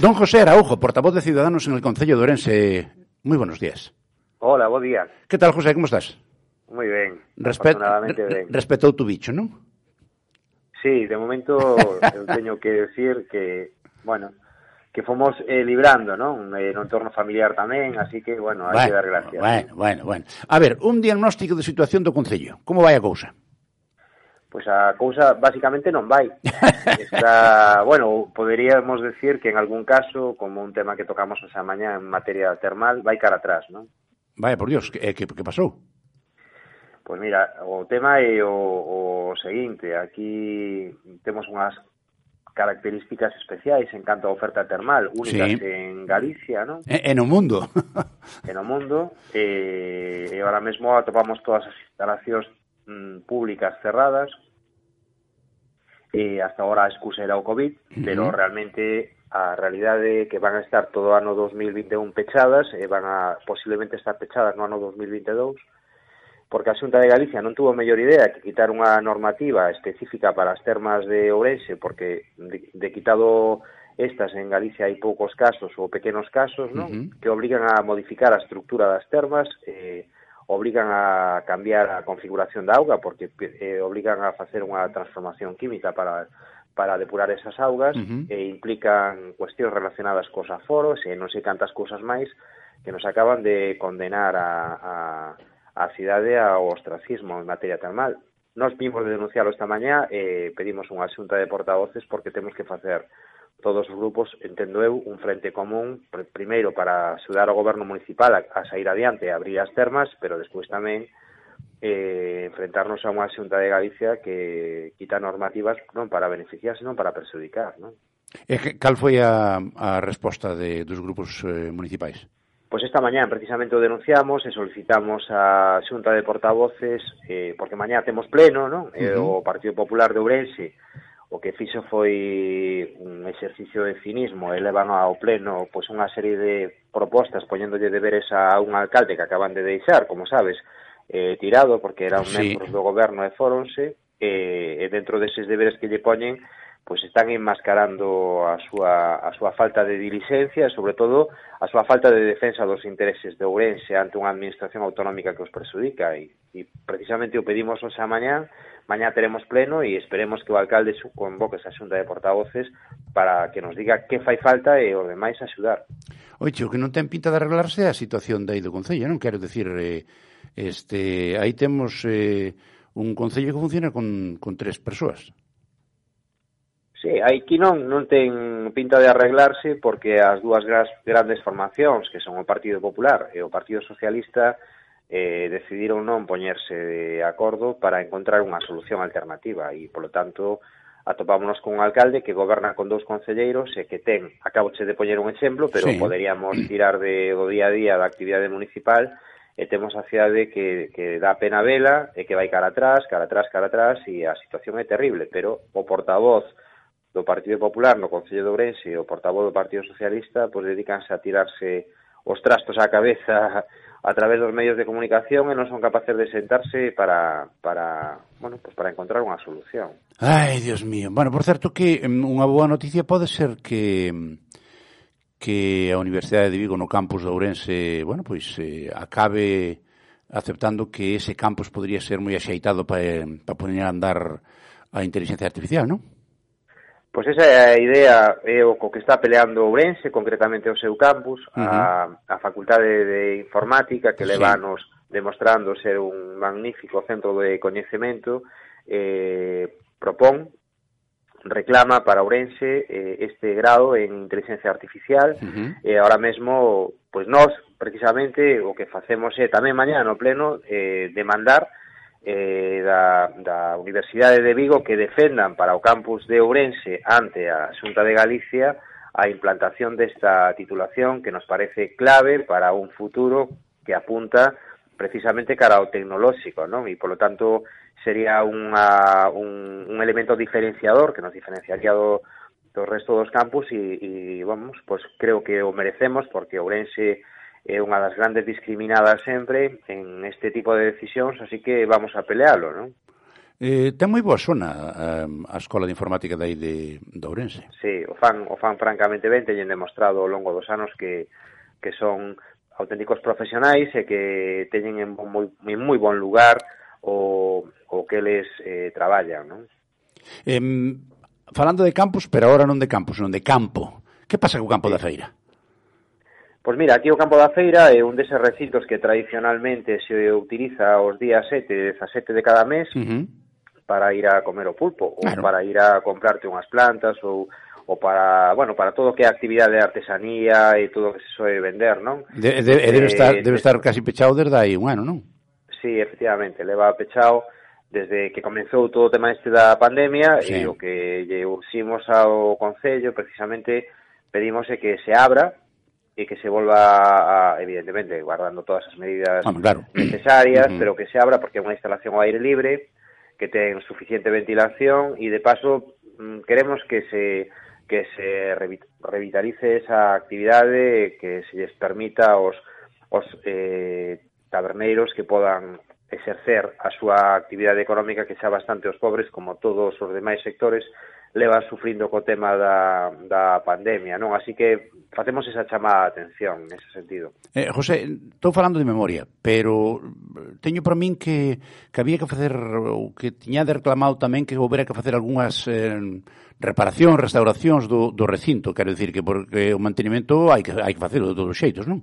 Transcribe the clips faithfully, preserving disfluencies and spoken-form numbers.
Don José Araujo, portavoz de Ciudadanos en el Concello de Ourense. Muy buenos días. Hola, bo día. Que tal, José, como estás? Moi ben, Respet afortunadamente ben. Respetou tu bicho, non? Sí, de momento eu teño que decir que, bueno, que fomos eh, librando, non? Eh, no entorno familiar tamén, así que, bueno, hai bueno, que dar gracias. Bueno, bueno, bueno. A ver, un diagnóstico de situación do Concello. Como vai a cousa? Pois a cousa basicamente non vai. Está, bueno, poderíamos decir que en algún caso, como un tema que tocamos esa mañá en materia termal, vai cara atrás, non? Vai, por Dios, que, que, que pasou? Pois mira, o tema é o, o seguinte, aquí temos unhas características especiais en canto a oferta termal, únicas sí. en Galicia, non? E, e no mundo. E no mundo, e, e ahora mesmo atopamos todas as instalacións mm, públicas cerradas, e hasta ahora a excusa era o COVID, uh-huh. pero realmente a realidade é que van a estar todo o ano dos mil vinte e un pechadas, e van a posiblemente estar pechadas no ano dos mil vinte e dous, porque a Xunta de Galicia non tuvo mellor idea que quitar unha normativa específica para as termas de Ourense, porque de, de quitado estas en Galicia hai poucos casos ou pequenos casos, non? Uh-huh. Que obrigan a modificar a estructura das termas, eh, obrigan a cambiar a configuración da auga, porque eh, obrigan a facer unha transformación química para para depurar esas augas, uh-huh. e implican cuestións relacionadas cos aforos e non sei cantas cousas máis que nos acaban de condenar a, a a cidade ao ostracismo en materia termal. Nos vimos de denunciarlo esta mañá e pedimos unha xunta de portavoces porque temos que facer todos os grupos, entendo eu, un frente común, pr primeiro para axudar ao goberno municipal a, a sair adiante e abrir as termas, pero despois tamén eh, enfrentarnos a unha xunta de Galicia que quita normativas non para beneficiar, senón para perjudicar, non? E que, cal foi a, a resposta de, dos grupos eh, municipais? Pois esta mañá precisamente o denunciamos e solicitamos a Xunta de Portavoces, eh, porque mañá temos pleno, non? Uh-huh. E o Partido Popular de Ourense o que fixo foi un exercicio de cinismo e levan ao pleno pois unha serie de propostas poñéndolle deberes a un alcalde que acaban de deixar, como sabes, eh, tirado porque eran sí. membros do goberno e fóronse, e, e dentro deses deberes que lle poñen pois están enmascarando a súa, a súa falta de diligencia e, sobre todo, a súa falta de defensa dos intereses de Ourense ante unha administración autonómica que os perjudica. E, e precisamente o pedimos hoxe a mañá, mañá teremos pleno e esperemos que o alcalde convoque esa xunta de portavoces para que nos diga que fai falta e o demais axudar. Oiche, o que non ten pinta de arreglarse é a situación de aí do Concello, non? Quero decir, eh, este, aí temos eh, un Concello que funciona con, con tres persoas. Sí, aquí non, non ten pinta de arreglarse porque as dúas gras, grandes formacións, que son o Partido Popular e o Partido Socialista, eh, decidiron non poñerse de acordo para encontrar unha solución alternativa e, polo tanto, atopámonos con un alcalde que goberna con dous concelleiros e que ten, acaboche de poñer un exemplo, pero sí. Poderíamos tirar de, do día a día da actividade municipal e temos a cidade que, que dá pena vela e que vai cara atrás, cara atrás, cara atrás e a situación é terrible, pero o portavoz do Partido Popular no Concello de Ourense e o portavoz do Partido Socialista pois dedícanse a tirarse os trastos á cabeza a través dos medios de comunicación e non son capaces de sentarse para para, bueno, pues para encontrar unha solución. Ai, Dios mío. Bueno, por certo que unha boa noticia pode ser que que a Universidade de Vigo no campus de Ourense, bueno, pois eh, acabe aceptando que ese campus podría ser moi axeitado para para poñer a andar a inteligencia artificial, non? Pois esa é a idea, é o co que está peleando Ourense, concretamente o seu campus, uh-huh. a, a Facultade de Informática, que sí. leva anos demostrando ser un magnífico centro de coñecemento, eh, propón, reclama para Ourense eh, este grado en inteligencia artificial, uh-huh. e ahora mesmo, pois nós, precisamente, o que facemos é tamén mañá no pleno eh, demandar Eh, da, da Universidade de Vigo que defendan para o campus de Ourense ante a Xunta de Galicia a implantación desta titulación que nos parece clave para un futuro que apunta precisamente cara ao tecnolóxico, non? E, polo tanto, sería unha, un, un elemento diferenciador que nos diferenciaría do, do resto dos campus e, e, vamos, pues creo que o merecemos porque Ourense é unha das grandes discriminadas sempre en este tipo de decisións, así que vamos a pelealo, non? Eh, ten moi boa zona a, a Escola de Informática dai de, de Ourense. Sí, o fan, o fan francamente ben, teñen demostrado ao longo dos anos que, que son auténticos profesionais e que teñen en moi, en moi bon lugar o, o que eles eh, traballan, non? Eh, falando de campus, pero agora non de campus, non de campo. Que pasa co campo sí. da feira? Pois mira, aquí o campo da feira é un deses recintos que tradicionalmente se utiliza os días sete e dezasete de cada mes, uh-huh. para ir a comer o pulpo, claro. ou para ir a comprarte unhas plantas, ou, ou para, bueno, para todo o que é actividade de artesanía e todo o que se soe vender, non? De, de, debe, estar, debe estar casi pechado desde aí un ano, non? Sí, efectivamente, leva pechado desde que comenzou todo o tema este da pandemia, sí. e o que lle uximos ao Concello, precisamente, pedimos que se abra, e que se volva, a, evidentemente, guardando todas as medidas ah, claro. necesarias, uh-huh. pero que se abra porque é unha instalación ao aire libre, que ten suficiente ventilación e de paso queremos que se que se revitalice esa actividade, que se lles permita aos, aos eh, taberneiros que podan exercer a súa actividade económica, que xa bastante os pobres, como todos os demais sectores, leva sufrindo co tema da, da pandemia, non? Así que facemos esa chamada de atención nese sentido. Eh, José, estou falando de memoria, pero teño para min que, que había que facer, ou que tiña de reclamado tamén que houbera que facer algunhas eh, reparacións, restauracións do, do recinto, quero dicir que porque o mantenimento hai que, hai que facelo de todos os xeitos, non?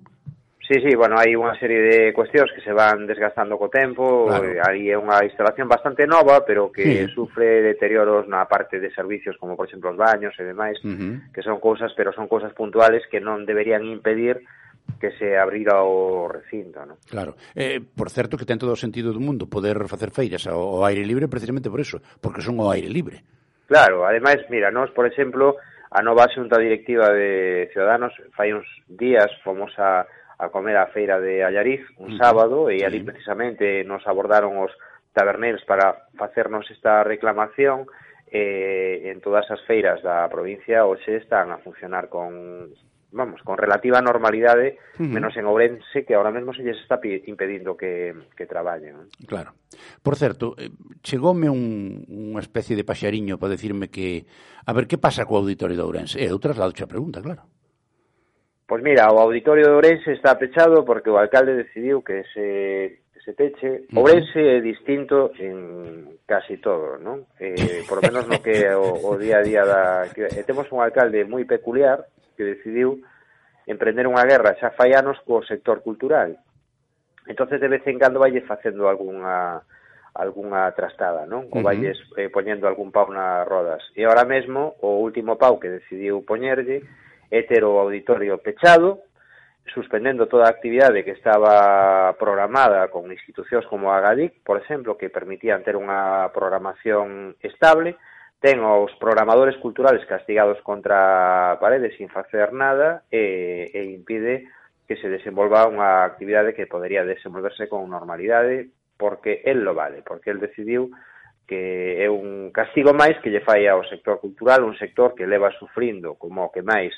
Sí, sí, bueno, hai unha serie de cuestións que se van desgastando co tempo, claro. Aí é unha instalación bastante nova, pero que sí. sufre deterioros na parte de servicios, como por exemplo os baños e demais, uh-huh. que son cousas, pero son cousas puntuales que non deberían impedir que se abrira o recinto, ¿no? Claro. Eh, por certo que ten todo o sentido do mundo poder facer feiras ao, ao aire libre precisamente por eso, porque son ao aire libre. Claro, ademais, mira, nós, por exemplo, a nova xunta directiva de Ciudadanos, fai uns días fomos a a comer a feira de Allariz un sábado e ali precisamente nos abordaron os taberneiros para facernos esta reclamación e en todas as feiras da provincia hoxe están a funcionar con, vamos, con relativa normalidade, uh-huh. menos en Ourense, que ahora mesmo se lles está impedindo que, que traballen. Claro. Por certo, chegoume un, unha especie de paxariño para decirme que a ver que pasa co auditorio de Ourense. E eu traslado a pregunta, claro. Pois mira, o auditorio de Ourense está pechado porque o alcalde decidiu que se, que se peche. Uh-huh. Ourense é distinto en casi todo, non? Eh, por lo menos no que o, o día a día da... Que, eh, temos un alcalde moi peculiar que decidiu emprender unha guerra xa fai anos co sector cultural. Entonces de vez en cando vaille facendo algunha algunha trastada, non? Ou valles eh, poñendo algún pau nas rodas. E ahora mesmo o último pau que decidiu poñerlle é ter o auditorio pechado, suspendendo toda a actividade que estaba programada con institucións como a Agadic, por exemplo, que permitían ter unha programación estable, ten os programadores culturales castigados contra a parede sin facer nada e, e impide que se desenvolva unha actividade que podería desenvolverse con normalidade porque él lo vale, porque él decidiu que é un castigo máis que lle fai ao sector cultural, un sector que leva sufrindo como o que máis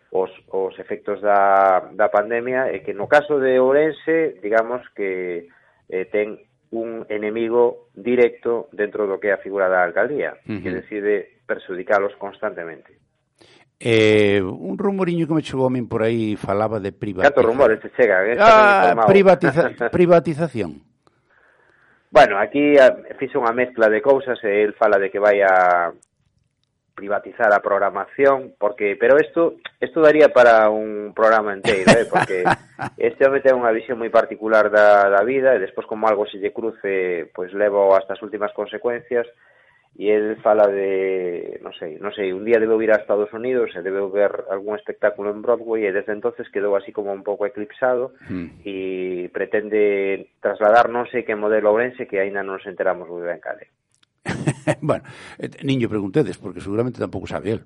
os, os efectos da, da pandemia e que no caso de Ourense, digamos que eh, ten un enemigo directo dentro do que é a figura da alcaldía, uh-huh. que decide perjudicalos constantemente. Eh, un rumoriño que me chegou a min por aí falaba de privatización. Cantos rumores te chega? Eh? Ah, privatiza privatización. Bueno, aquí fixe unha mezcla de cousas e el fala de que vai a privatizar a programación, porque pero isto isto daría para un programa inteiro, eh, porque este home ten unha visión moi particular da, da vida e despois como algo se lle cruce, pois levo hasta as últimas consecuencias e el fala de, non sei, non sei, un día debeu ir a Estados Unidos e debeu ver algún espectáculo en Broadway e desde entonces quedou así como un pouco eclipsado mm. e pretende trasladar non sei que modelo Ourense que aínda non nos enteramos moi ben cale. Bueno, niño preguntedes, porque seguramente tampouco sabe el.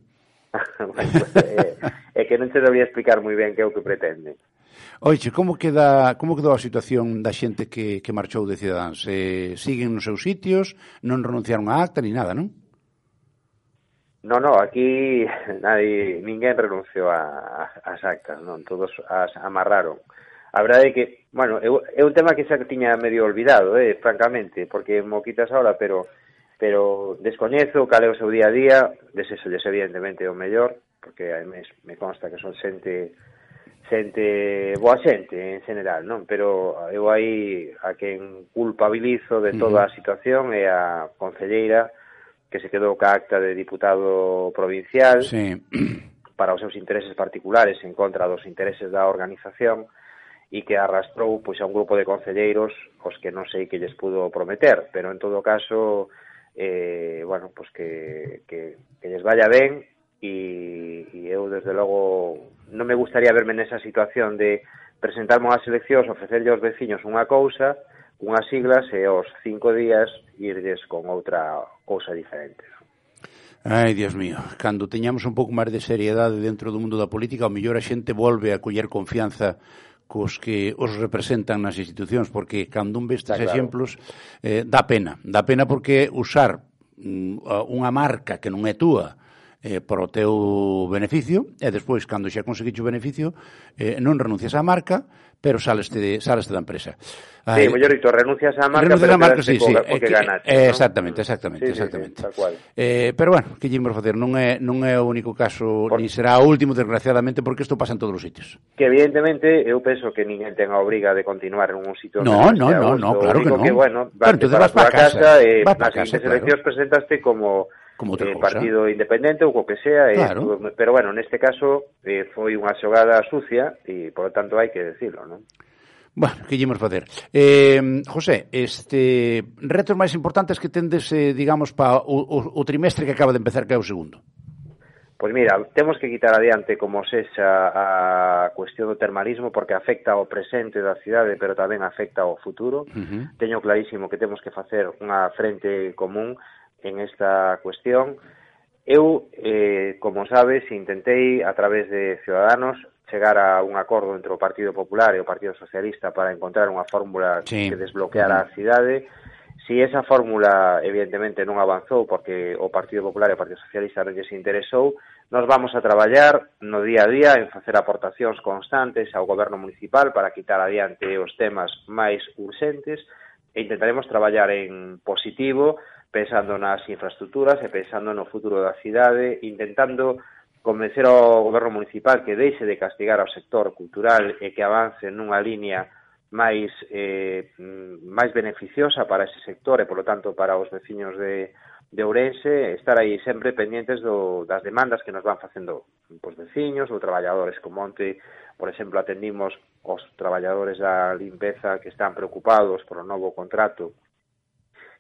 Bueno, pues, é, é que non te debería explicar moi ben que é o que pretende. Oiche, como queda, como quedou a situación da xente que, que marchou de Cidadáns? Eh, siguen nos seus sitios, non renunciaron a acta ni nada, non? No, no, aquí nadie, ninguén renunciou a, a, as actas, non? Todos as amarraron. A verdade é que, bueno, é, é un tema que xa tiña medio olvidado, eh, francamente, porque mo quitas ahora, pero pero descoñezo cal é o seu día a día, desexolles evidentemente o mellor, porque me, me consta que son xente xente boa xente en general, non? Pero eu aí a quen culpabilizo de toda a situación é a concelleira que se quedou ca acta de diputado provincial sí. para os seus intereses particulares en contra dos intereses da organización e que arrastrou pois a un grupo de concelleiros os que non sei que lles pudo prometer, pero en todo caso eh, bueno, pois que, que, que lles vaya ben e, e eu desde logo non me gustaría verme nesa situación de presentarme unhas eleccións, ofrecerlle aos veciños unha cousa, unhas siglas e aos cinco días irles con outra cousa diferente. Ai, Dios mío, cando teñamos un pouco máis de seriedade dentro do mundo da política, ao mellor a xente volve a coller confianza cos que os representan nas institucións, porque cando un ve estes claro. exemplos eh, dá pena, dá pena porque usar mm, unha marca que non é túa eh, para o teu beneficio, e despois, cando xa conseguiche o beneficio, eh, non renuncias á marca, pero saleste, de, saleste da empresa. Ai, sí, mellor dito, renuncias á marca, renuncias pero a marca, sí, co, sí, co que ganaste, eh, ¿no? Exactamente, exactamente, sí, exactamente. Sí, sí, tal cual. Eh, pero bueno, que lle imos facer, non é, non é o único caso, Por... ni será o último, desgraciadamente, porque isto pasa en todos os sitios. Que evidentemente, eu penso que ninguén ten a obriga de continuar en un sitio... No, no, no, no, claro que non. Que, bueno, vas pero para, para casa, casa e vas nas seguintes eleccións presentaste como... como eh, partido independente ou co que sea, claro. eh, pero bueno, neste caso eh, foi unha xogada sucia e, por lo tanto, hai que decirlo, non? Bueno, que lle imos facer? Eh, José, este retos máis importantes que tendes, eh, digamos, para o, o, o trimestre que acaba de empezar, que é o segundo? Pois mira, temos que quitar adiante como sexa a cuestión do termalismo porque afecta ao presente da cidade, pero tamén afecta ao futuro. Uh-huh. Teño clarísimo que temos que facer unha frente común en esta cuestión. Eu, eh, como sabes, intentei a través de Ciudadanos chegar a un acordo entre o Partido Popular e o Partido Socialista para encontrar unha fórmula sí. que desbloqueara uh-huh. a cidade. Si esa fórmula, evidentemente, non avanzou porque o Partido Popular e o Partido Socialista non lles interesou, nos vamos a traballar no día a día en facer aportacións constantes ao goberno municipal para quitar adiante os temas máis urxentes e intentaremos traballar en positivo pensando nas infraestructuras e pensando no futuro da cidade, intentando convencer ao goberno municipal que deixe de castigar ao sector cultural e que avance nunha línea máis eh, máis beneficiosa para ese sector e, polo tanto, para os veciños de, de Ourense, estar aí sempre pendientes do, das demandas que nos van facendo os veciños ou traballadores, como onte, por exemplo, atendimos os traballadores da limpeza que están preocupados por o novo contrato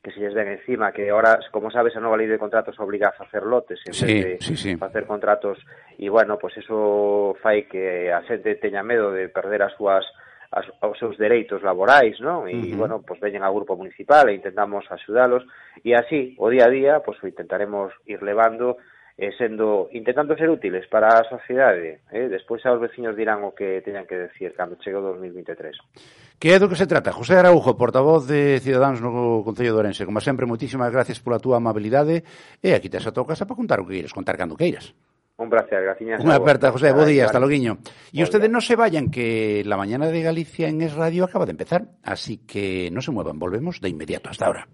que se lles ven encima, que ahora, como sabes, a nova lei de contratos obliga a facer lotes en sí, vez de sí, sí. facer contratos, e, bueno, pues eso fai que a xente teña medo de perder as súas as, os seus dereitos laborais, non? E, uh-huh. bueno, pues veñen ao grupo municipal e intentamos axudalos, e así, o día a día, pues o intentaremos ir levando, eh, sendo, intentando ser útiles para a sociedade, eh? Despois aos veciños dirán o que teñan que decir cando chegue o dos mil veintitrés. Que é do que se trata? José Araujo, portavoz de Ciudadanos no Concello de Ourense. Como sempre, moitísimas gracias pola túa amabilidade e aquí tes a tua casa para contar o que queiras, contar cando queiras. Un placer, graciñas. Unha aperta, José, bo día, hasta loguiño. E Buen ustedes día. non se vayan, que la mañana de Galicia en Es Radio acaba de empezar, así que non se muevan, volvemos de inmediato. Hasta ahora.